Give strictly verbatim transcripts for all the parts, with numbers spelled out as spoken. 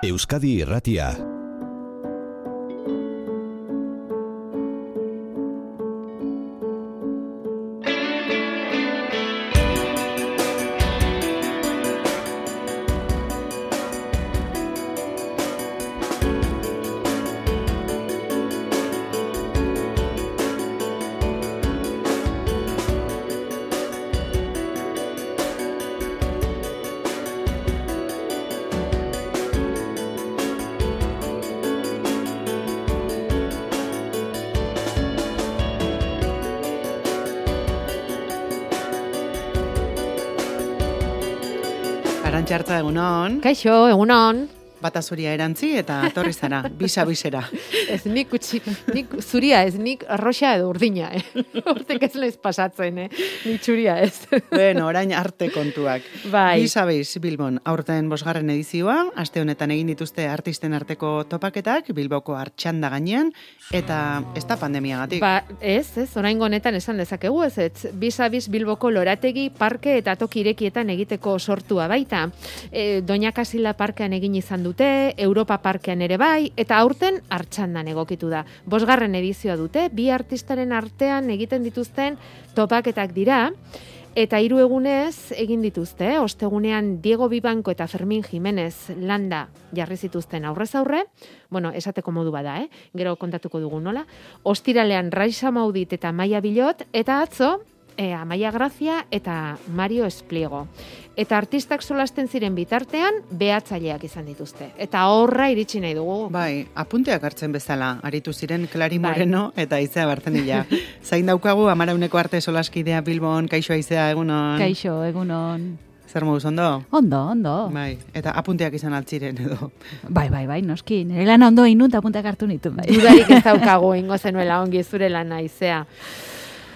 Euskadi Irratia. Arantxartza, egunon. Kaixo, egunon. Bata zuria erantzi eta atorri zara, bisa-bisera. Ez nik, utzi, nik zuria ez, nik arroxa edo urdina, eh? Hortek ez lez pasatzen, eh? Nik txuria ez. Bueno, orain arte kontuak. Bai. Bisa-bis, Bilbon, aurten bosgarren edizioa, aste honetan egin dituzte artisten arteko topaketak, Bilboko Artxanda gainean, eta ez da pandemiagatik. Ba, ez, ez, oraingo honetan esan dezakegu, ez, ez, bisa-bis Bilboko lorategi, parke eta toki irekietan egiteko sortua baita. E, Doña Kasila parkean egin izan dute, Europa parkean ere bai, eta aurten Artxandan egokitu da. Bosgarren edizioa dute, bi artistaren artean egiten dituzten topaketak dira, eta hiru egunez egin dituzte, ostegunean Diego Bibanko eta Fermin Jimenez landa jarri zituzten aurrez aurre, bueno, esateko modu bada, eh? Gero kontatuko dugu nola. Ostiralean Raixa Maudit eta Maia Bilot, eta atzo, E, Amaia Grazia eta Mario Espliego. Eta artistak solasten ziren bitartean, behatzaileak izan dituzte. Eta horra iritsi nahi dugu. Bai, apunteak hartzen bezala, aritu ziren Klari Moreno bai. Eta Aizea Bartzenilla. Zain daukagu, Amarauneko arte solaskidea Bilbon, kaixo Aizea, egunon. Kaixo, egunon. Zer moduz, ondo? Ondo, ondo. Bai, eta apunteak izan altziren edo. Bai, bai, bai, noski. Nire lan ondo inut apunteak hartu nitu. Bai. Dudarik ez daukagu, ingo zenuela ongi zure lana Aizea.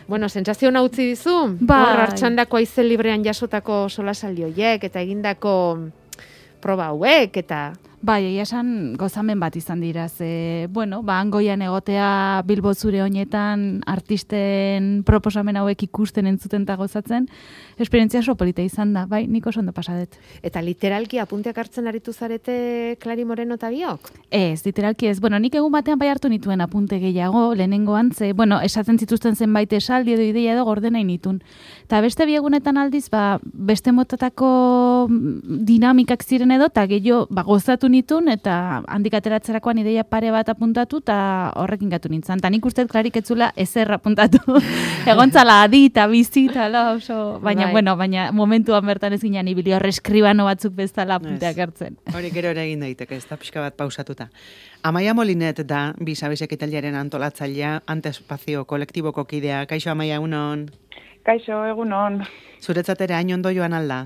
Bueno, sentsazio ona utzi dizu? Bai. Hor Artxandako aize librean jasotako solasaldi horiek eta egindako proba hauek eta... Bai, egia esan gozamen bat izan dira, ze, bueno, ba, angoian egotea Bilbo zure honetan artisten proposamen hauek ikusten entzuten eta gozatzen, esperientzia oso polita izan da, bai, nik oso ondo pasadet. Eta literalki apunteak hartzen aritu zarete Klari Moreno eta biok? Ez, literalki ez, bueno, nik egun batean bai hartu nituen apunte gehiago, lehenengoan, ze, bueno, esaten zituzten zenbait esaldi edo ideia edo gordena initun. Eta beste biegunetan aldiz, ba, beste motatako dinamikak ziren edo, eta gehiago, ba, gozatu nitun, eta handik ateratzerakoan ideia pare bat apuntatu, eta horrekin gatu nintzen. Eta nik uste klarik etzula ezer apuntatu. Egontzala adi eta bizi, eta oso, baina, bai. Bueno, baina momentuan bertan ez ginen ibili horre eskribano batzuk bezala apunteak hartzen. Hori gero ere egin daiteke, ez da pixka bat pausatuta. Amaia Molinet da, bisa-bisek italiaren antolatzailea, Antespazio kolektiboko kidea. Kaixo, Amaia, egunon? Kaixo, egunon. Zuretzatera hain ondo joan alda?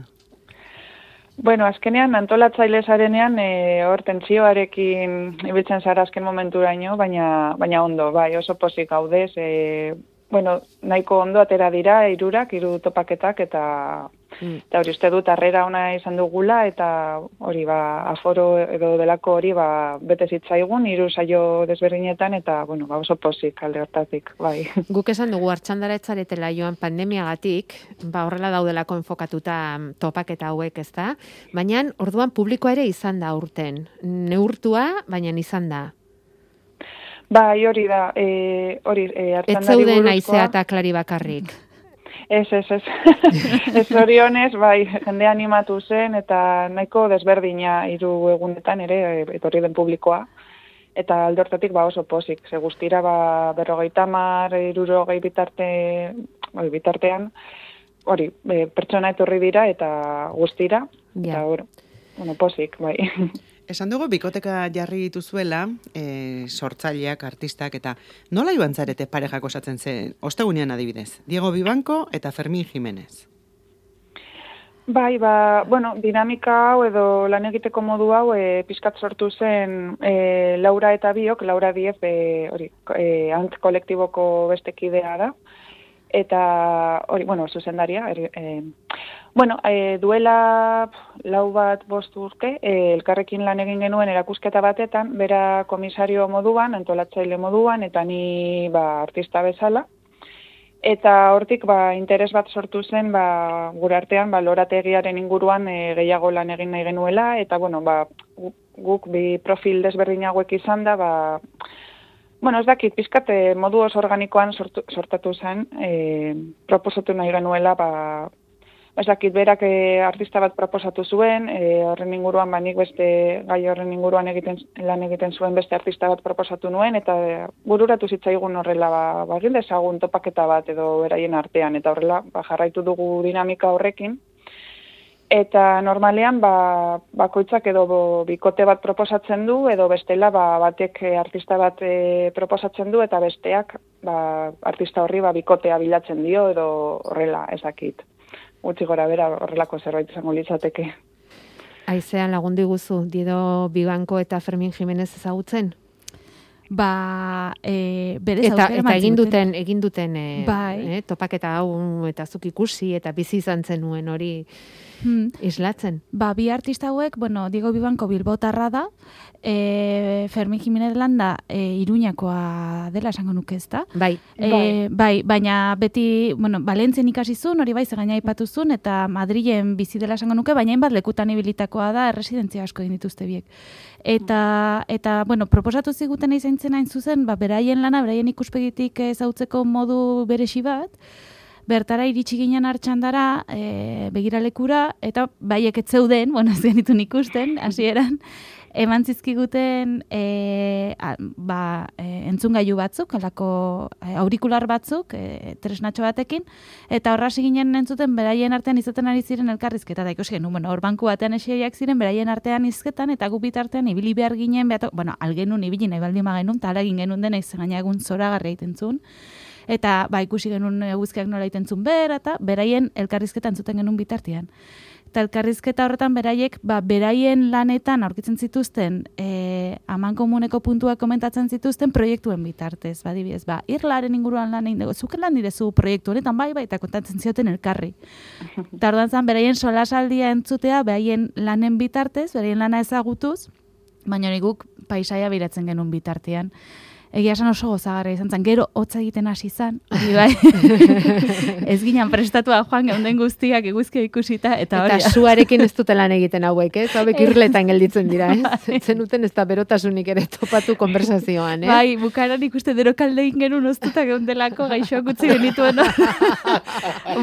Bueno, azkenean antolatzaile zarenean e, hor tentsioarekin ibiltzen zara azken momenturaino, baina baina ondo, bai, oso pozik gaudez, e, bueno, nahiko ondo atera dira hirurak, hiru topaketak eta mm. eta hori uste dut harrera ona izan dugula eta hori ba aforo edo delako hori ba bete zitzaigun hiru saio desberdinetan eta bueno, ba oso pozik alde hortatik, bai. Guk esan dugu Artxandara ez zaretela joan pandemiagatik, ba horrela daudelako enfokatuta topaketa hauek, ezta? Baina orduan publikoa ere izan da aurten. Neurtua, baina izan da. Bai, hori da, e, hori e, Artxandari buruzkoa. Ez zeuden Aizea eta Klari bakarrik. Ez, ez, ez. Ez zorionez, bai, jende animatu zen, eta nahiko desberdina hiru egunetan ere, etorri den publikoa. Eta alde hortatik ba oso pozik. Ze guztira ba berrogeita hamar, hirurogei bitarte, bai, bitartean, hori, e, pertsona etorri dira eta guztira. Ja. Eta hori, bueno, pozik, bai. Esan dugu, bikoteka jarri dituzuela, e, sortzaileak, artistak, eta nola joan zarete parejak osatzen zen, ostegunean adibidez, Diego Bibanko eta Fermin Jimenez? Bai, ba, bueno, dinamika hau edo lan egiteko modu hau e, pizkat sortu zen e, Laura eta biok, Laura Diez, e, hori, e, ant kolektiboko beste kidea da, eta hori, bueno, zuzendaria, er, e, bueno, e, duela lau bat bost urte, e, elkarrekin lan egin genuen erakusketa batetan, bera komisario moduan, antolatzaile moduan, eta ni ba, artista bezala, Eta hortik ba, interes bat sortu zen ba, gure artean ba, lorategiaren inguruan e, gehiago lan egin nahi genuela, eta bueno, ba, guk bi profil desberdin hauek izan da, ba, bueno, ez dakit, pizkat modu oso organikoan sortu, sortatu zen, e, proposatu nahi genuela, ba, ez dakit, berak e, artista bat proposatu zuen, e, horren inguruan, ba, nik beste gai horren inguruan egiten, lan egiten zuen beste artista bat proposatu nuen, eta e, bururatu zitzaigun horrela, ba, ba, egin dezagun topaketa bat edo beraien artean, eta horrela, ba, jarraitu dugu dinamika horrekin. Eta normalean, ba, bakoitzak edo bo, bikote bat proposatzen du, edo bestela, ba, batek artista bat e, proposatzen du, eta besteak, ba, artista horri ba, bikotea bilatzen dio, edo horrela, ezakit. Gutxi gora bera horrelako zerbait izango litzateke. Aizean lagundu guzu, Dido Bibanko eta Fermin Jimenez ezagutzen? Ba, e, berez eta, eta egin duten, egin duten e, bai. e, topaketa hau eta zuk ikusi eta bizi izan zenuen hori hmm. islatzen. Ba, bi artista hauek, bueno, Diego Bibanko bilbotarra da, e, Fermin Jimenez landa e, Iruñakoa dela esango nuke ezta. Bai. E, bai. bai, baina beti, bueno, Valentzien ikasi zuen, hori bai, zegaina aipatu zuen, eta Madrilen bizi dela esango nuke, baina hainbat lekutan ibilitakoa da, erresidentzia asko egin dituzte biek. Eta, eta bueno, proposatu ziguten izan zen hain zuzen, ba, beraien lana, beraien ikuspegitik ezautzeko modu beresi bat, bertara iritsi ginen hartxandara, e, begiralekura, eta baiek ez zeuden, bueno, ez genitun ikusten, hasieran, eman zizkiguten e, a, ba, e, entzungailu batzuk, alako e, aurikular batzuk, e, tresnatxo batekin, eta horra ginen entzuten beraien artean izaten ari ziren elkarrizketa, eta ikusi genuen, bueno, hor banku batean eseiak ziren beraien artean izketan, eta gu bitartean ibili behar ginen, behato, bueno, algenun ibili nahi baldin magenun, eta ala egin genuen dena izan gaina egun zoragarria itentzun, eta ba, ikusi genuen eguzkiak nola itentzun behar, eta beraien elkarrizketa entzuten genuen bitartean. Eta elkarrizketa horretan beraiek, ba, beraien lanetan aurkitzen zituzten, e, aman komuneko puntuak komentatzen zituzten proiektuen bitartez, badibidez, ba, irlaren inguruan lan egin dugu, zuke lan direzu proiektu honetan, bai, bai, eta kontatzen zioten elkarri. Eta orduan zan, beraien solasaldia entzutea, beraien lanen bitartez, beraien lana ezagutuz, baina guk paisaia biratzen genuen bitartean. Egia esan oso gozagarria izan zen, gero hotza egiten hasi izan, hori bai. Ez ginen prestatua joan geunden guztiak eguzkia ikusita, eta hori. Eta suarekin ez dute lan egiten hauek, ez? Hauek irletan gelditzen dira, ez? Zenuten ez da berotasunik ere topatu konversazioan, eh? Bai, bukaran ikuste derokalde egin genuen oztuta geundelako gaixoak utzi genituen.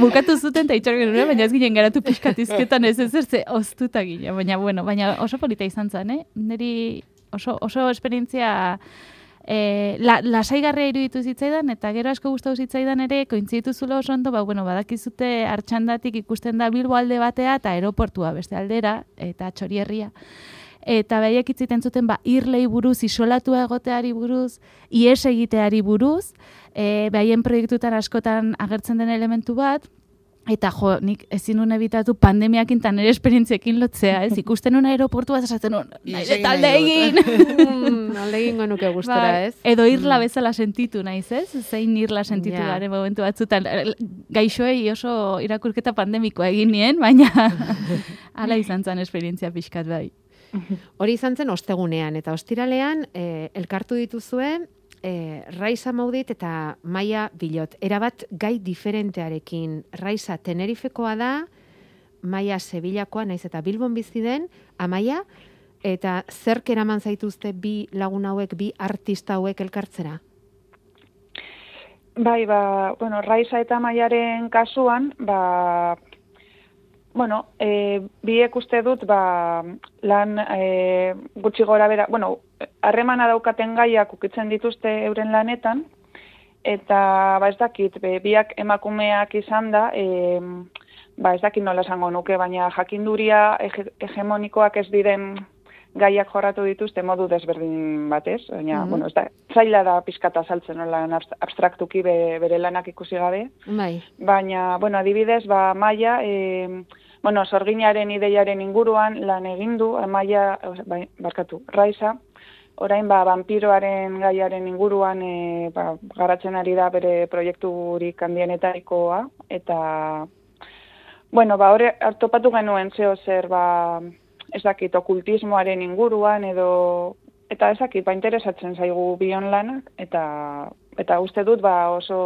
Bukatu zuten eta itxor genuen, baina ez ginen garatu pixkatizketan ez ez erze oztuta ginen. Baina, bueno, baina oso polita izan zen, eh? Neri oso, oso esperientzia... E, la, lasaigarria iruditu zitzaidan, eta gero asko gustatu zitzaidan ere, kointzitu zulo oso ondo, ba, bueno, badakizute hartxandatik ikusten da Bilbo alde batea, eta aeroportua beste aldera, eta Txorierria. Eta behiak itziten zuten, ba, irlei buruz, isolatua egoteari buruz, ies egiteari buruz, e, behaien proiektutan askotan agertzen den elementu bat, eta jo, nik ezin nuen ebitatu pandemiakin eta nire esperientziekin lotzea, ez? Ikusten nuen aeroportua esaten nuen, nahi talde egin! Alde egin gonuke gustora, ez? Edo irla bezala sentitu naiz, ez? Zein irla sentitu ja. garen momentu batzutan. Gaixoei oso irakurketa pandemikoa egin nien, baina hala izan zen esperientzia pixkat bai. Hori izan zen ostegunean, eta ostiralean eh, elkartu dituzue, E, Raiza Maudit eta Maia Bilot. Erabat gai diferentearekin. Raiza Tenerifekoa da, Maia Sevillakoa, naiz eta Bilbon bizi den, Amaia, eta zerk eraman zaituzte bi lagun hauek, bi artista hauek elkartzera? Bai, ba, bueno, Raiza eta Maiaren kasuan, ba, bueno, e, biek uste dut, ba, lan e, gutxi gora bera, bueno, harremana daukaten gaiak ukitzen dituzte euren lanetan, eta ba ez dakit, be, biak emakumeak izan da, e, ba ez dakit nola esango nuke, baina jakinduria hege, hegemonikoak ez diren gaiak jorratu dituzte modu desberdin batez, baina, mm-hmm. bueno, ez da, zaila da pizkata saltzen nola abstraktuki be, bere lanak ikusi gabe, bai. Baina, bueno, adibidez, ba, Maia, e, bueno, sorginaren ideiaren inguruan lan egindu, Maia, bai, barkatu, Raiza, orain ba, vampiroaren gaiaren inguruan e, ba, garatzen ari da bere proiekturik handienetarikoa, eta, bueno, ba, hori hartopatu genuen zeo zer, ba, ez dakit, okultismoaren inguruan, edo, eta ez dakit, ba, interesatzen zaigu bion lanak, eta, eta uste dut, ba, oso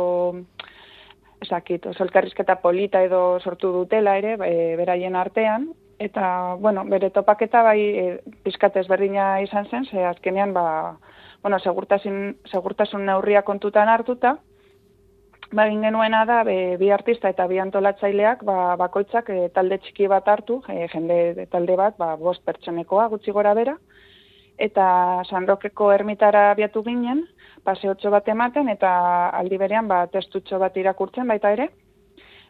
ezakit, oso elkarrizketa polita edo sortu dutela ere, e, beraien artean, eta, bueno, bere topaketa bai e, pizkat ezberdina izan zen, ze azkenean, ba, bueno, segurtasun, segurtasun neurria kontutan hartuta, ba, egin genuena da, be, bi artista eta bi antolatzaileak, ba, bakoitzak e, talde txiki bat hartu, e, jende talde bat, ba, bost pertsonekoa gutxi gora bera, eta San Rokeko ermitara abiatu ginen, paseotxo bat ematen, eta aldi berean ba, testutxo bat irakurtzen baita ere,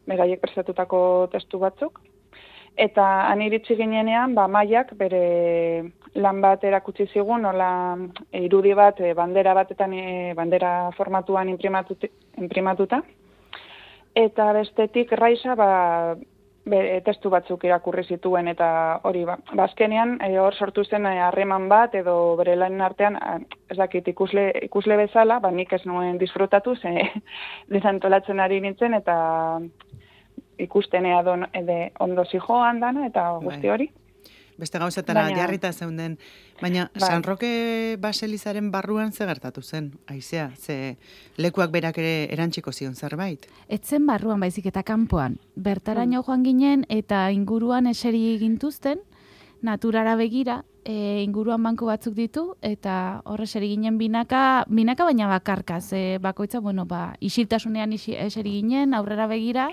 beraiek prestatutako testu batzuk. Eta han iritsi ginenean, ba, Maiak bere lan bat erakutsi zigun, nola e, irudi bat, e, bandera batetan, e, bandera formatuan imprimatuta. Eta bestetik Raisa, ba, be, testu batzuk irakurri zituen, eta hori, ba, bazkenean, e, hor sortu zen harreman bat, edo bere lanen artean, ez dakit, ikusle, ikusle bezala, ba, nik ez nuen disfrutatu, ze desantolatzen ari nintzen, eta ikustenea don, ede, ondo zijoan dana, eta guzti hori. Beste gauzetara Baina, jarrita zeunden. Baina bai. San Roke baselizaren barruan ze gertatu zen, aizea, ze lekuak berak ere erantziko zion zerbait. Etzen barruan baizik eta kanpoan. Bertaraino joan ginen eta inguruan eseri gintuzten, naturara begira, e, inguruan banku batzuk ditu, eta horre eseri ginen binaka, binaka baina bakarka, ze bakoitza, bueno, ba, isiltasunean isi, eseri ginen, aurrera begira,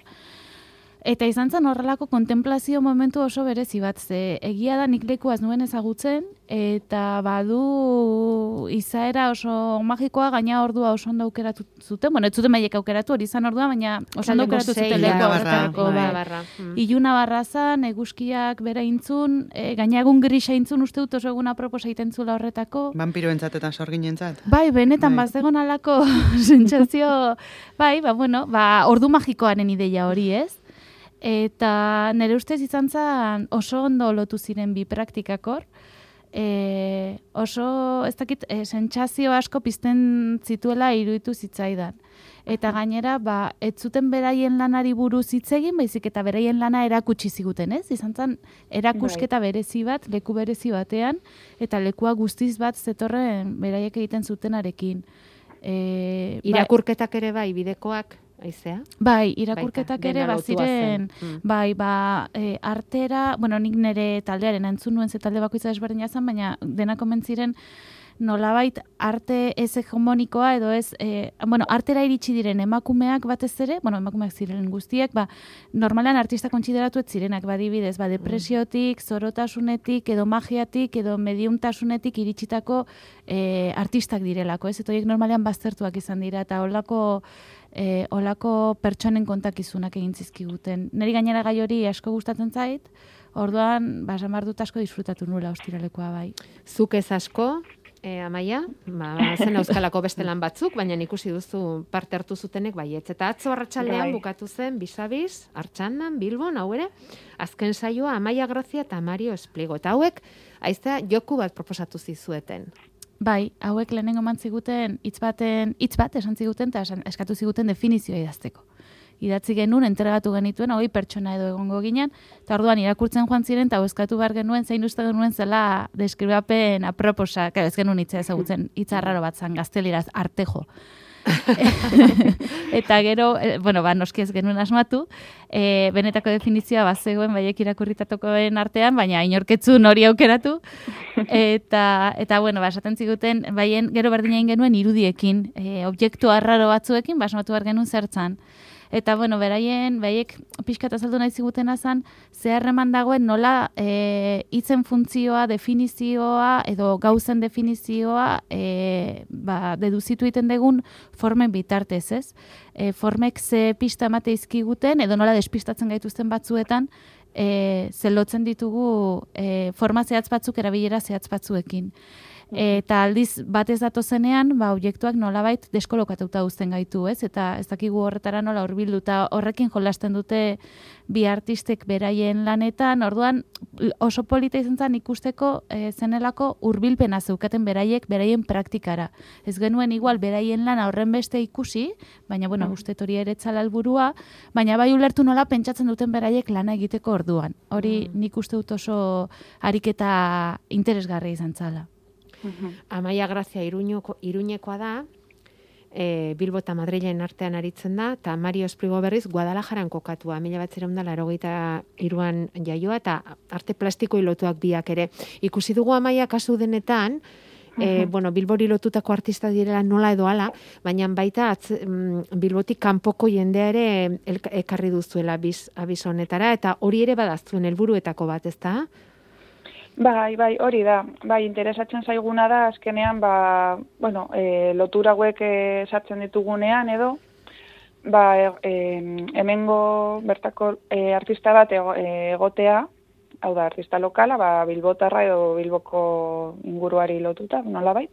eta izan zen horrelako kontemplazio momentu oso berezi bat, ze egia da nik lekuaz nuen ezagutzen, eta badu izaera oso magikoa, gaina ordua oso ondo aukeratu zuten, bueno, ez zuten maiek aukeratu, hori izan ordua, baina oso ondo aukeratu zuten leku horretarako. Iluna barra zan, eguzkiak bera intzun, e, gaina egun grisa intzun uste dut oso egun aproposa egiten zula horretako. Vampiroentzat eta sorginentzat. Bai, benetan bai. bazegon alako sentsazio, bai, ba, bueno, ba, ordu magikoaren ideia hori, ez? Eta nire ustez izan zen oso ondo lotu ziren bi praktikakor, e, oso, ez dakit, e, sentsazio asko pizten zituela iruditu zitzaidan. Eta gainera, ba, ez zuten beraien lanari buruz hitz egin, baizik eta beraien lana erakutsi ziguten, ez? Izan zen erakusketa berezi bat, leku berezi batean, eta lekua guztiz bat zetorren beraiek egiten zutenarekin. E, Irakurketak ere bai, bidekoak, aizea? Bai, irakurketak Baita, ere dena lotua baziren, zen. bai, ba, e, artera, bueno, nik nire taldearen entzun nuen ze talde bakoitza desberdina zen, baina dena komentziren nolabait arte ez hegemonikoa edo ez, e, bueno, artera iritsi diren emakumeak batez ere, bueno, emakumeak ziren guztiak, ba, normalan artista kontsideratu ez zirenak, badibidez, ba, depresiotik, zorotasunetik, edo magiatik, edo mediumtasunetik iritsitako e, artistak direlako, ez? Eta horiek normalean baztertuak izan dira, eta holako E, olako pertsonen kontakizunak egin zizkiguten. Neri gainera gai hori asko gustatzen zait, orduan, ba, samar dut asko disfrutatu nula ostiralekoa bai. Zuk ez asko, e, Amaia, ba, zen euskalako beste lan batzuk, baina ikusi duzu parte hartu zutenek baietz. Eta atzo arratsaldean Bai. bukatu zen Bisabiz, Artxandan, Bilbon, hau ere, azken saioa Amaia Grazia eta Mario Espligo. Eta hauek, aiztea, joku bat proposatu zizueten. Bai, hauek lehenengo eman ziguten hitz baten, hitz bat esan ziguten eta esan- eskatu ziguten definizioa idazteko. Idatzi genuen, entregatu genituen, hogei pertsona edo egongo ginen, eta orduan irakurtzen joan ziren, eta eskatu behar genuen, zein uste genuen zela deskribapen aproposa, claro, ez genuen hitza ezagutzen, hitz arraro bat zan, gazteliraz, artejo. Eta gero, eh, bueno, ba, noski ez genuen asmatu, e, benetako definizioa bazegoen baiek irakurritatokoen artean, baina inorketzun hori aukeratu, eta, eta bueno, ba, esaten ziguten, baien gero berdina egin genuen irudiekin, e, objektu arraro batzuekin, ba, asmatu behar genuen zertzan. Eta, bueno, beraien, baiek pixka eta azaldu nahi zigutena zan, zeharreman dagoen nola e, hitzen funtzioa, definizioa, edo gauzen definizioa, e, ba, deduzitu egiten dugun formen bitartez, ez? E, formek ze pista emate izkiguten, edo nola despistatzen gaituzten batzuetan, e, zelotzen ditugu e, forma zehatz batzuk erabilera zehatz batzuekin. Eta aldiz batez datozenean, ba, objektuak nolabait deskolokatuta uzten gaitu, ez? Eta ez dakigu horretara nola hurbildu, eta horrekin jolasten dute bi artistek beraien lanetan, orduan oso polita izan zen ikusteko e, zenelako hurbilpena zeukaten beraiek beraien praktikara. Ez genuen igual beraien lana horren beste ikusi, baina bueno, uste hori ere etzala helburua, baina bai ulertu nola pentsatzen duten beraiek lana egiteko orduan. Hori nik uste dut oso ariketa interesgarria izan zala. Amaia Grazia Iruñeko, Iruñekoa da, e, Bilbo eta Madrilen artean aritzen da, eta Mario Esprigo berriz Guadalajaran kokatua, mila batzireun da laurogeita hiruan jaioa, eta arte plastikoi lotuak biak ere. Ikusi dugu Amaia kasu denetan, E, bueno, Bilbori lotutako artista direla nola edo ala, baina baita atz, mm, Bilbotik kanpoko jendea ere elka, ekarri duzuela biz, abiz honetara, eta hori ere badaztuen helburuetako bat, ez da? Bai, bai, hori da. Bai, interesatzen zaiguna da, azkenean, ba, bueno, e, lotura hauek sartzen ditugunean edo, ba, e, hemengo bertako e, artista bat ego, e, egotea, hau da, artista lokala, ba, Bilbotarra edo Bilboko inguruari lotuta, nolabait.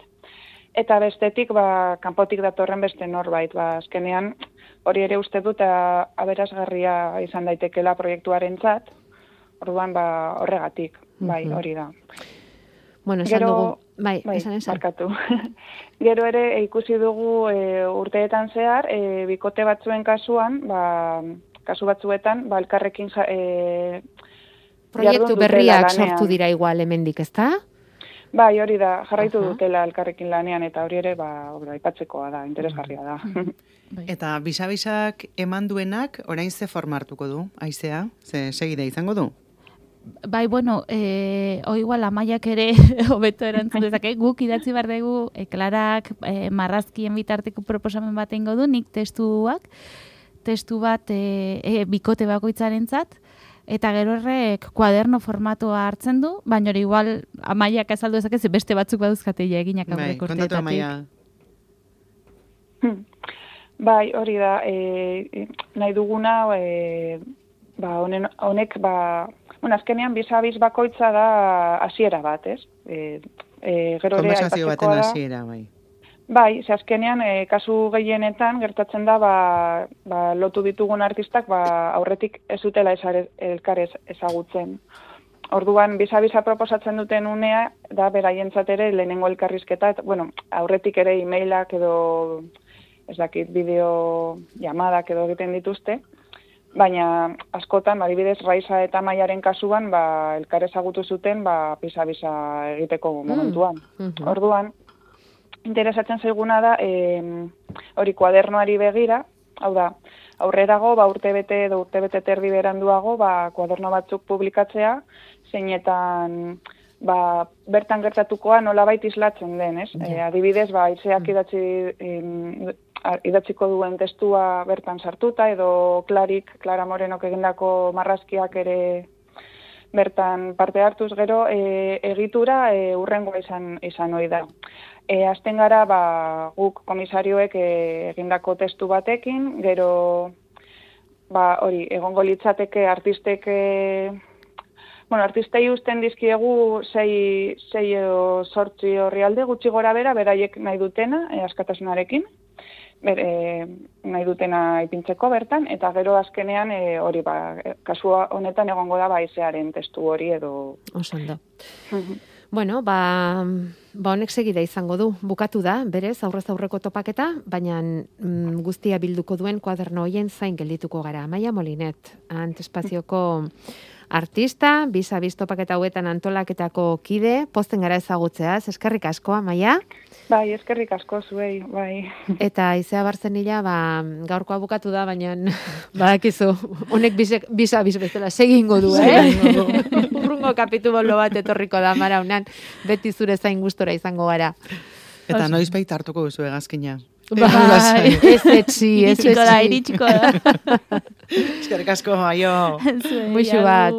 Eta bestetik, ba, kanpotik datorren beste norbait, ba, azkenean, hori ere uste dut aberasgarria izan daitekela proiektuarentzat, orduan, ba, horregatik, bai, hori da. Bueno, esan Gero, dugu, bai, bai, esan esan. Barkatu. Gero ere ikusi dugu e, urteetan zehar, e, bikote batzuen kasuan, ba, kasu batzuetan, ba, elkarrekin ja, e, proiektu berriak sortu dira igual hemendik, ezta? Bai, hori da, jarraitu Aha. dutela elkarrekin lanean, eta hori ere, ba, aipatzekoa da, interesgarria da. Eta bisabisak eman duenak, orain ze formartuko du, aizea? Ze segida izango du? Bai, bueno, eh, o igual Amaiak ere hobeto erantzun dezake, guk idatzi behar dugu, e, Klarak e, marrazkien bitarteko proposamen bat eingo du, nik testuak, testu bat e, e, bikote bakoitzarentzat, eta gero horrek kuaderno formatua hartzen du, baina hori igual Amaiak azaldu dezake, ze beste batzuk baduzkate ja eginak Bai, aurrek kontatu Amaia. Bai, hori da, e, nahi duguna, e, ba, honen, honek, ba, bueno, azkenean bizabiz bakoitza da hasiera bat, ez? E, e, gero ere Konversazio baten aipatzekoa da. hasiera, bai. Bai, ze azkenean, e, kasu gehienetan gertatzen da, ba, ba, lotu ditugun artistak, ba, aurretik ez dutela esare, elkarez ezagutzen. Orduan, bisa-bisa proposatzen duten unea, da beraientzat ere lehenengo elkarrizketa, eta, bueno, aurretik ere e-mailak edo, ez dakit, bideo llamadak edo egiten dituzte, baina askotan, adibidez, Raiza eta Maiaren kasuan, ba, elkar ezagutu zuten, ba, bisa-bisa egiteko momentuan. Mm. Orduan, interesatzen zaiguna da, e, hori kuadernoari begira, hau da, aurrerago, ba, urtebete edo urtebete terdi beranduago, ba, kuaderno batzuk publikatzea, zeinetan, ba, bertan gertatukoa nolabait islatzen den, ez? Ja. E, adibidez, ba, Aizeak idatzi, em, idatziko duen testua bertan sartuta, edo Klarik, Klara Morenok egindako marrazkiak ere bertan parte hartuz, gero e, egitura e, urrengoa izan, izan ohi da. E, azten gara, ba, guk komisarioek e, egindako testu batekin, gero, ba, hori, egongo litzateke artistek, e, bueno, artistei usten dizkiegu sei, sei edo sortzi horrialde gutxi gora bera, beraiek nahi dutena, e, askatasunarekin, ber, e, nahi dutena ipintzeko bertan, eta gero azkenean, e, hori, ba, kasua honetan egongo da, ba, Aizearen testu hori edo... Oso ondo. Bueno, ba, ba honek segida izango du. Bukatu da, berez, aurrez aurreko topaketa, baina mm, guztia bilduko duen kuaderno hoien zain geldituko gara. Amaia Molinet, Antespazioko artista, bizabiz topaketa hauetan antolaketako kide, posten gara ezagutzeaz. Eskerrik asko, Amaia. Bai, eskerrik asko zuei, bai. Eta Aizea Barzenila, ba, gaurkoa bukatu da, baina badakizu, honek bizabiz bezala segingo du, eh? Urrungo kapitulu bat etorriko da maraunan, beti zure zain gustora izango gara. Eta noiz baita hartuko duzu egazkina. Bai, ez etxi, ez etxi. Iritsiko da, iritsiko da. Eskerrik asko, aio. Muixu bat.